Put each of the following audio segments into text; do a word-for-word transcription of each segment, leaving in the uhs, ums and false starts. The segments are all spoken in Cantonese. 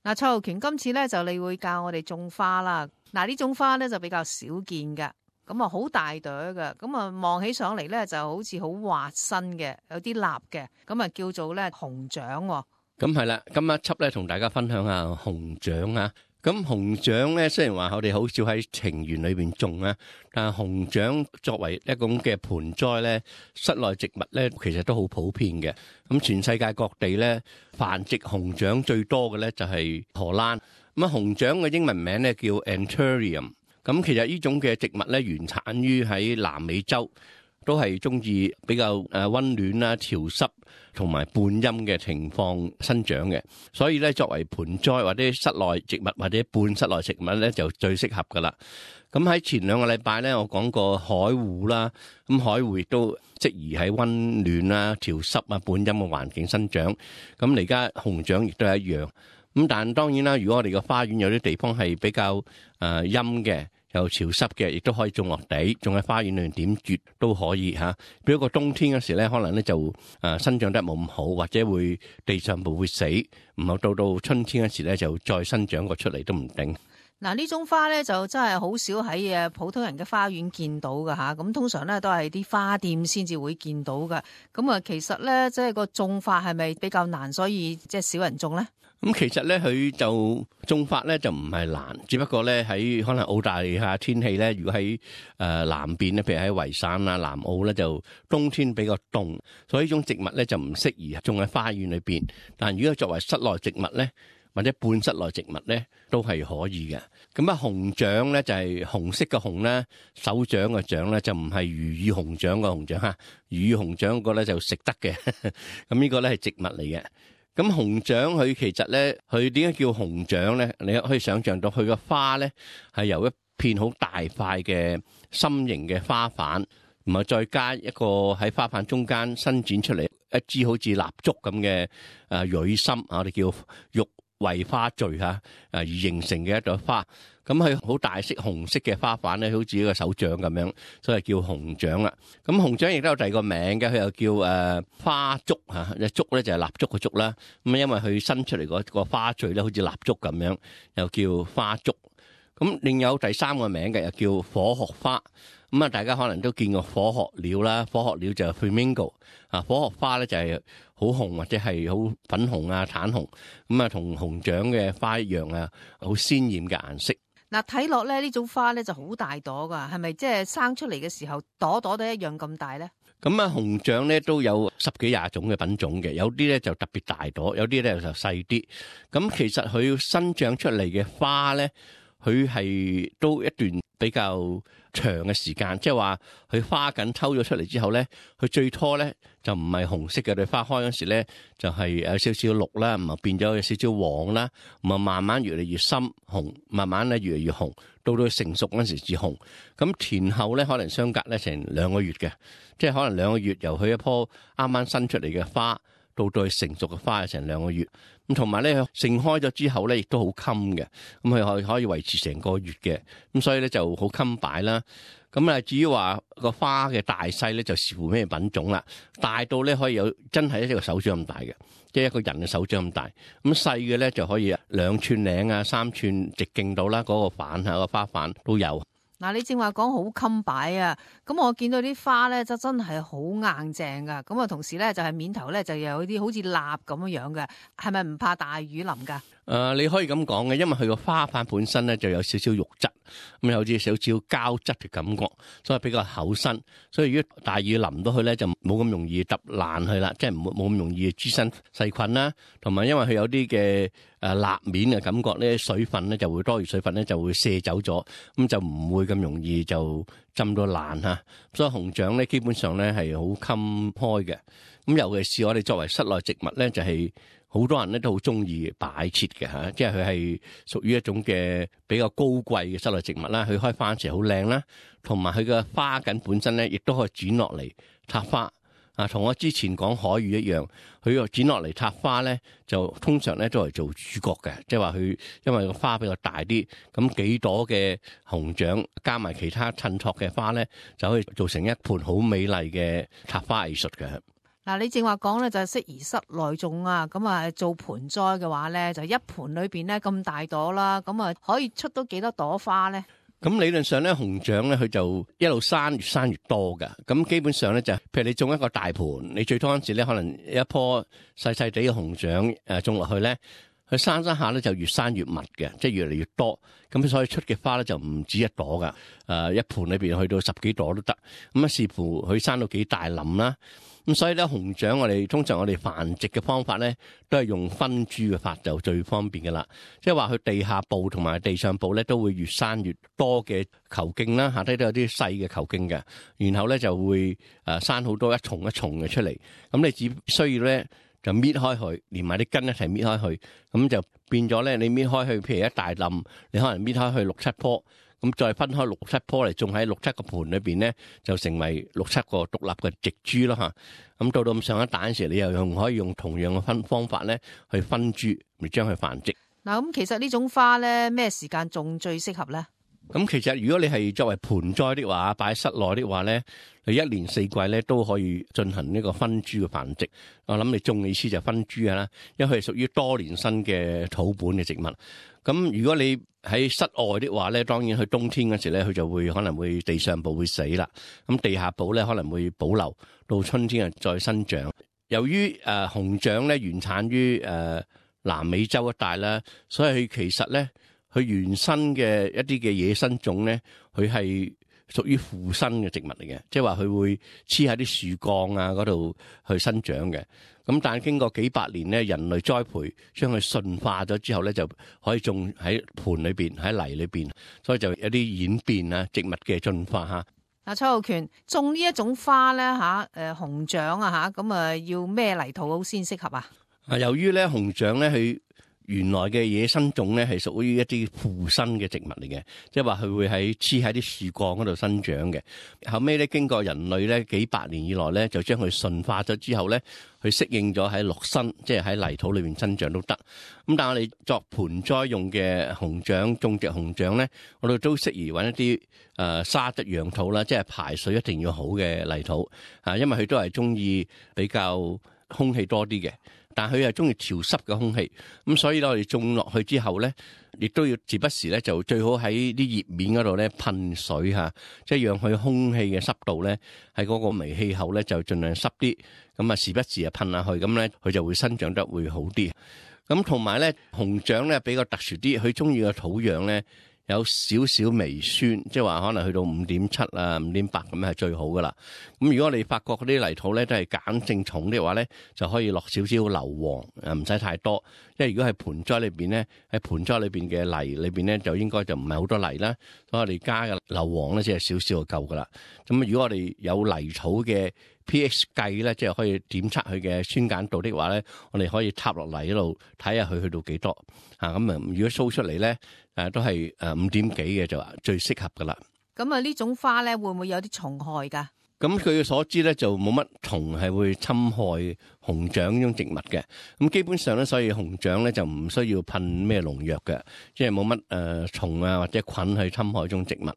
嗱，蔡浩權今次咧就你會教我哋種花啦。嗱，呢種花咧就比較少見嘅，咁啊好大朵嘅，咁啊望起上嚟咧就好似好滑身嘅，有啲蠟嘅，咁啊叫做咧紅掌。咁係啦，今一輯咧同大家分享下紅掌啊。咁紅掌咧雖然話我哋好少喺庭園裏邊種啊，但係紅掌作為一種嘅盆栽咧，室內植物咧其實都好普遍嘅。咁全世界各地咧繁殖紅掌最多嘅咧就係荷蘭。咁啊紅掌嘅英文名咧叫 Anthurium。咁其實呢種嘅植物咧原產於喺南美洲，都係中意比較誒溫暖啦、潮濕同埋半陰嘅情況生長嘅，所以咧作為盆栽或者室內植物或者半室內植物咧就最適合噶啦。咁喺前兩個禮拜咧，我講過海芋啦，咁海芋亦都適宜喺溫暖啦、潮濕啊、半陰嘅環境生長。咁而家紅掌亦都係一樣。咁但係當然啦，如果我哋嘅花園有啲地方係比較誒陰嘅，又潮濕嘅，亦都可以種落地，種喺花園裏面點綴都可以嚇。比如個冬天嗰時咧，可能咧就誒生長得冇咁好，或者會地上部會死，唔好到到春天嗰時咧就再生長個出嚟都唔定。嗱，呢種花咧就真係好少喺誒普通人嘅花園見到㗎吓，咁通常咧都係啲花店先至會見到㗎。咁啊，其實咧即係個種法係咪比較難，所以即係少人種咧？咁其實咧佢就種法咧就唔係難，只不過咧喺可能澳大利亞天氣咧，如果喺誒南邊咧，譬如喺維省啊、南澳咧，就冬天比較凍，所以呢種植物咧就唔適宜種喺花園裏邊。但如果作為室內植物咧，或者半室內植物咧，都係可以嘅。咁啊，紅掌咧就係紅色嘅紅咧，手掌嘅掌咧就唔係魚與熊掌嘅紅掌嚇，魚與熊掌嗰個咧就食得嘅。咁呢個咧係植物嚟嘅。咁紅掌佢其實咧，佢點解叫紅掌咧？你可以想象到佢個花咧係由一片好大塊嘅心形嘅花瓣，然後再加一個喺花瓣中間伸展出嚟一支好似蠟燭咁嘅誒蕊心，我哋叫玉慧花序嚇，誒而形成嘅一朵花。咁佢好大色紅色嘅花瓣咧，好似一個手掌咁樣，所以叫紅掌啦。咁紅掌亦都有第二個名嘅，佢又叫誒、呃、花燭嚇，隻燭咧就係蠟燭嘅燭啦。咁因為佢伸出嚟嗰個花序咧，好似蠟燭咁樣，又叫花燭。咁另有第三個名嘅，又叫火鶴花。咁啊，大家可能都見過火鶴鳥啦，火鶴鳥就係 flamingo 啊，火鶴花咧就係好紅或者係好粉紅啊、橙紅，咁啊同紅掌嘅花一樣啊，好鮮豔嘅顏色。嗱，睇落咧呢種花咧就好大朵噶，係咪即係生出嚟嘅時候朵朵都一樣咁大咧？咁啊，紅掌咧都有十幾廿種嘅品種嘅，有啲咧就特別大朵，有啲咧就細啲。咁其實佢生長出嚟嘅花咧，佢係都一段比較長嘅時間，即係話佢花緊抽咗出嚟之後咧，佢最初咧就唔係紅色嘅，對花開嗰時咧就係有少少綠啦，咁啊變咗有少少黃啦，咁啊慢慢越嚟越深紅，慢慢咧越嚟越紅，到到成熟嗰時至紅。咁前後咧可能相隔咧成兩個月嘅，即係可能兩個月由佢一棵啱啱生出嚟嘅花到到成熟嘅花係成兩個月。咁同埋咧盛開咗之後咧，亦都好襟嘅，咁佢可可以維持成個月嘅，咁所以咧就好襟擺啦。咁啊，至於話個花嘅大細咧，就視乎咩品種啦。大到咧可以有真係一個手掌咁大嘅，即係一個人嘅手掌咁大。咁細嘅咧就可以兩寸零啊、三寸直徑到啦，嗰個瓣啊、個花瓣都有。嗱，你正話講好襟擺啊，咁我見到啲花咧就真係好硬淨噶，咁啊同時咧就係面頭咧就有啲好似蠟咁樣樣嘅，係咪唔怕大雨淋噶？誒、呃，你可以咁講嘅，因為佢個花瓣本身咧就有少少肉質，咁有啲少少膠質嘅感覺，所以比較厚身。所以如果大雨淋到佢咧，就冇咁容易揼爛佢啦，即係冇冇咁容易滋生細菌啦。同埋因為佢有啲嘅誒蠟面嘅感覺咧，水分咧就會多餘水分咧就會卸走咗，咁就唔會咁容易就浸到爛嚇。所以紅掌咧基本上咧係好襟開嘅。咁尤其是我哋作為室內植物咧，就係、是。好多人咧都好中意擺設嘅嚇，即係佢係屬於一種嘅比較高貴嘅室內植物啦。佢開花時好靚啦，同埋佢嘅花梗本身咧，亦都可以剪落嚟插花啊。同我之前講海芋一樣，佢個剪落嚟插花咧，就通常咧都係做主角嘅，即係話佢因為個花比較大啲，咁幾朵嘅紅掌加埋其他襯托嘅花咧，就可以做成一盤好美麗嘅插花藝術嘅。嗱，你正話講咧就係適宜室內種啊，咁啊做盆栽嘅話咧，就一盆裏邊咧咁大朵啦，咁啊可以出到幾多朵花咧？咁理論上咧，紅掌咧佢就一路生，越生越多㗎。咁基本上咧就，譬如你種一個大盆，你最多嗰陣時咧，可能一棵細細地嘅紅掌誒種落去咧，佢生生下咧就越生越密嘅，即係越嚟越多。咁所以出嘅花咧就唔止一朵㗎，誒一盆裏邊去到十幾朵都得。咁啊視乎佢生到幾大冧啦。咁所以咧紅掌我哋通常我哋繁殖嘅方法咧，都係用分株嘅法就最方便嘅啦。即係話佢地下部同埋地上部咧都會越生越多嘅球莖啦，下低都有啲細嘅球莖嘅，然後咧就會誒生好多一重一重嘅出嚟。咁你只需要咧就搣開佢，連埋啲根一齊搣開佢，咁就變咗咧你搣開去，譬如一大冧，你可能搣開去六七棵。咁再分開六七棵嚟種喺六七個盆裏邊咧，就成為六七個獨立嘅植株咯嚇。咁到到咁上一彈時，你又用可以用同樣嘅分方法咧去分株嚟將佢繁殖。嗱，咁其實呢種花咧咩時間種最適合咧？咁其實如果你係作為盆栽的話，擺喺室內的話咧，你一年四季咧都可以進行呢個分株嘅繁殖。我諗你種嘅意思就係分株啦，因為佢係屬於多年生嘅土本嘅植物。咁如果你喺室外的話咧，當然去冬天嗰時咧，佢就會可能會地上部會死啦。咁地下部咧可能會保留到春天啊再生長。由於誒、呃、紅掌咧原產於誒、呃、南美洲一帶啦，所以佢其實咧佢原生嘅一啲嘅野生種咧，佢係屬於附生嘅植物嚟嘅，即係話佢會黐喺啲樹幹啊嗰度去生長嘅。咁但係經過幾百年咧，人類栽培將佢馴化咗之後咧，就可以種喺盆裏邊喺泥裏邊，所以就有啲演變啊，植物嘅進化嚇。嗱，蔡浩權種呢一種花咧嚇，誒紅掌啊嚇，咁啊要咩泥土好先適合啊？啊，由於咧紅掌咧佢原來嘅野生種咧係屬於一啲附生嘅植物嚟嘅，即係話佢會喺黐喺啲樹幹嗰度生長嘅。後尾咧經過人類咧幾百年以來咧，就將佢馴化咗之後咧，佢適應咗喺陸生，即係喺泥土裏面生長都得。咁但係我哋作盆栽用嘅紅掌種植紅掌咧，我哋都適宜揾一啲誒沙質養土啦，即係排水一定要好嘅泥土啊，因為佢都係中意比較空氣多啲嘅。但係佢係中意潮濕嘅空氣，咁所以咧我哋種落去之後咧，亦都要時不時咧就最好喺啲葉面嗰度咧噴水嚇，即係讓佢空氣嘅濕度咧喺嗰個微氣候咧就盡量濕啲，咁啊時不時啊噴下去，咁咧佢就會生長得會好啲。咁同埋咧紅掌咧比較特殊啲，佢中意嘅土壤咧有少少微酸，即係話可能去到五點七啊、五點八咁係最好噶啦。咁如果你發覺嗰啲泥土咧都係鹼性重嘅話咧，就可以落少少硫磺，誒唔使太多。因為如果係盆栽裏邊咧，喺盆栽裏邊嘅泥裏邊咧，就應該就唔係好多泥啦。所以我哋加嘅硫磺咧，即係少少就夠噶啦。咁如果我哋有泥土嘅 pH 計咧，即係可以檢測佢嘅酸鹼度的話咧，我哋可以插落嚟嗰度睇下佢去到幾多嚇。咁啊，如果 show 出嚟咧，誒都係誒五點幾嘅就話最適合噶啦。咁啊呢種花咧會唔會有啲蟲害㗎？咁據佢所知咧就冇乜蟲係會侵害紅掌呢種植物嘅。咁基本上咧，所以紅掌咧就唔需要噴咩農藥嘅，即係冇乜誒蟲啊或者菌去侵害呢種植物。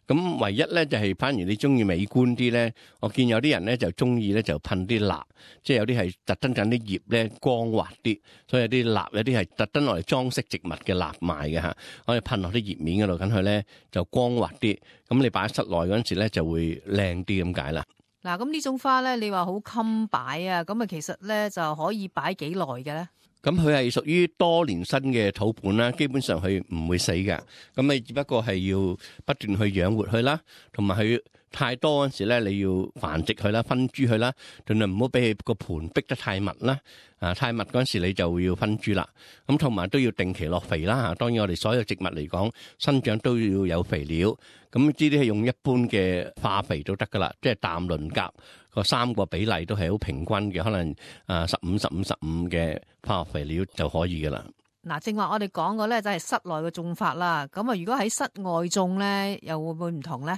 咁唯一咧就係，反而你中意美觀啲咧，我見有啲人咧就中意咧就噴啲蠟，即係有啲係特登緊啲葉咧光滑啲，所以有啲蠟有啲係特登落嚟裝飾植物嘅蠟賣嘅嚇，可以噴落啲葉面嗰度，咁佢咧就光滑啲，咁你擺喺室內嗰陣時咧就會靚啲咁解啦。嗱，咁呢種花咧，你話好襟擺啊，咁啊其實咧就可以擺幾耐嘅咧？咁佢係屬於多年生嘅土本啦，基本上佢唔會死嘅。咁你只不過係要不斷去養活佢啦，同埋佢太多嗰陣時咧，你要繁殖佢啦、分株佢啦，盡量唔好俾佢個盆逼得太密啦。啊，太密嗰陣時你就要分株啦。咁同埋都要定期落肥啦。嚇，當然我哋所有植物嚟講，生長都要有肥料。咁呢啲係用一般嘅化肥都得噶啦，即係氮磷鉀個三個比例都係好平均嘅，可能啊十五十五十五嘅化學肥料就可以噶啦。嗱，正話我哋講過咧，就係室內嘅種法啦。咁啊，如果喺室外種咧，又會唔會唔同咧？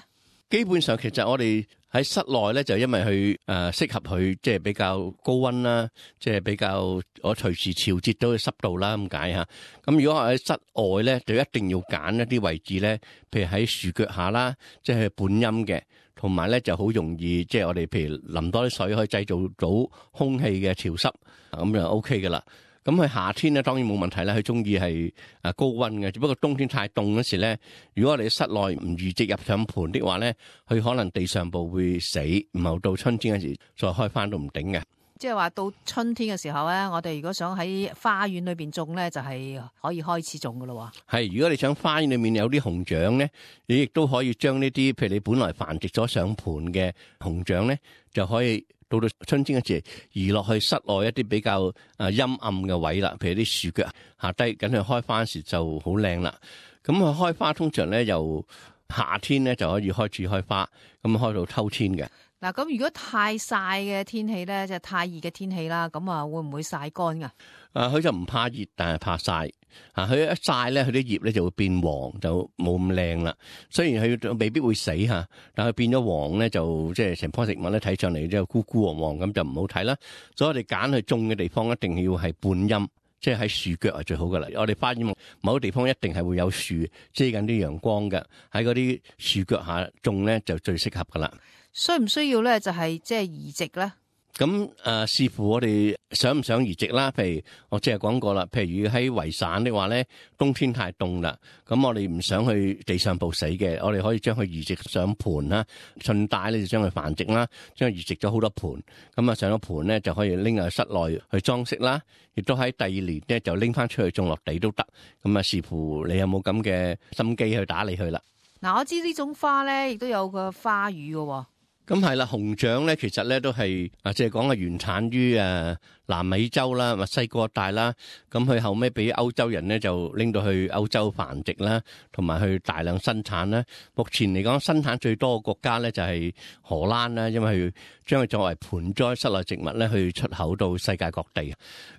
基本上其實我哋喺室內咧，就因為佢誒適合佢即係比較高溫啦，即係比較我隨時調節到佢濕度啦咁解嚇。咁如果喺室外咧，就一定要揀一啲位置咧，譬如喺樹腳下啦，即係半陰嘅，同埋咧就好容易即係我哋譬如淋多啲水可以製造到空氣嘅潮濕，咁就 O K 噶啦。咁佢夏天咧當然冇問題啦，佢中意係啊高溫嘅，只不過冬天太凍嗰時咧，如果我哋室內唔移植入上盤的話咧，佢可能地上部會死，唔係到春天嗰時再開翻都唔頂嘅。即係話到春天嘅時候咧，我哋如果想喺花園裏邊種咧，就係可以開始種噶咯。係，如果你想花園裏面有啲紅掌咧，你亦都可以將呢啲，譬如你本來繁殖咗上盤嘅紅掌咧，就可以到到春天嗰時移落去室內一啲比較啊陰暗嘅位啦，譬如啲樹腳下低，咁佢開花時就好靚啦。咁佢開花通常咧由夏天咧就可以開始開花，咁開到秋天嘅。嗱，咁如果太曬嘅天氣咧，即係太熱嘅天氣啦，咁啊會唔會曬乾噶？啊，佢就唔怕熱，但係怕曬。啊，佢一曬咧，佢啲葉咧就會變黃，就冇咁靚啦。雖然佢未必會死嚇，但係變咗黃咧，就即係成棵植物咧睇上嚟即係枯枯黃黃咁，就唔好睇啦。所以我哋揀去種嘅地方一定要係半陰，即係喺樹腳係最好噶啦。我哋花園某啲地方一定係會有樹遮緊啲陽光嘅，喺嗰啲樹腳下種咧就最適合噶啦。需唔需要咧？就係即係移植咧？咁誒、呃，視乎我哋想唔想移植啦。譬如我即係講過啦，譬如喺維省的話咧，冬天太凍啦，咁我哋唔想去地上部死嘅，我哋可以將佢移植上盤啦，順帶咧就將佢繁殖啦，將佢移植咗好多盤，咁啊上咗盤咧就可以拎去室內去裝飾啦，亦都喺第二年咧就拎翻出去種落地都得。咁啊視乎你有冇咁嘅心機去打理佢啦。嗱，我知呢種花咧亦都有個花語嘅。咁係啦，紅掌咧，其實咧都係啊，即係講係原產於誒南美洲啦、墨西哥一帶啦。咁佢後尾俾歐洲人咧就拎到去歐洲繁殖啦，同埋去大量生產啦。目前嚟講，生產最多嘅國家咧就係荷蘭啦，因為佢將佢作為盆栽室內植物咧去出口到世界各地。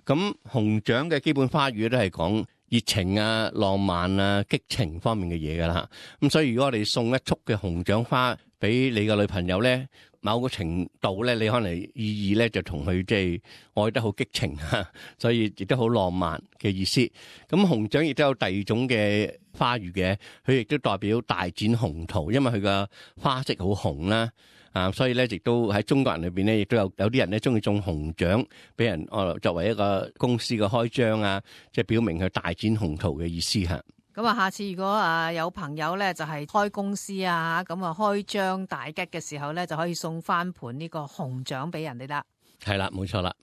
咁紅掌嘅基本花語都係講熱情啊、浪漫啊、激情方面嘅嘢噶啦。咁所以如果我哋送一束嘅紅掌花俾你個女朋友咧，某個程度咧，你可能意義咧就同佢即係愛得好激情吓，所以亦都好浪漫嘅意思。咁紅掌亦都有第二種嘅花語嘅，佢亦都代表大展宏圖，因為佢個花色好紅啦，啊，所以咧亦都喺中國人裏邊咧，亦都有有啲人咧中意種紅掌俾人哦，作為一個公司嘅開張啊，即係表明佢大展宏圖嘅意思吓。咁啊，下次如果啊有朋友咧就係開公司啊，咁啊開張大吉嘅時候咧，就可以送翻盤呢個紅掌俾人哋啦。係啦，冇錯啦。